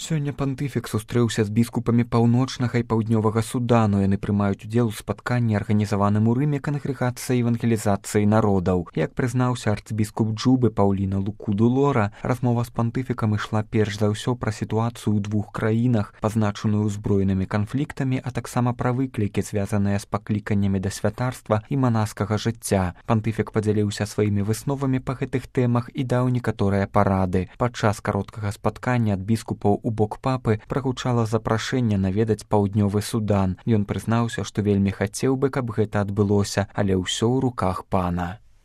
Сёння пантыфік сустрэўся з біскупамі паўночнага і паўднёвага Судану. Яны прымаюць удзел у спатканні, арганізаваным у Рыме кангрэгацыяй евангелізацыі народаў. Як прызнаўся арцбіскуп Джубы Паўліна Лукуду Лора, размова з пантыфікам ішла перш за ўсё пра сітуацыю ў двух краінах, пазначаную ўзброенымі канфліктамі, а таксама пра выклікі, звязаныя з пакліканнямі да святарства і манаскага жыцця. Пантыфік падзяліўся сваімі высновамі па гэтых тэмах і даў некаторыя парады. Падчас кароткага спаткання ад біскупаў у бок папы прагучала запрашэнне наведаць паўднёвы Судан. Ён прызнаўся, што вельмі хацеў бы, каб гэта адбылося, але ўсё ў руках пана.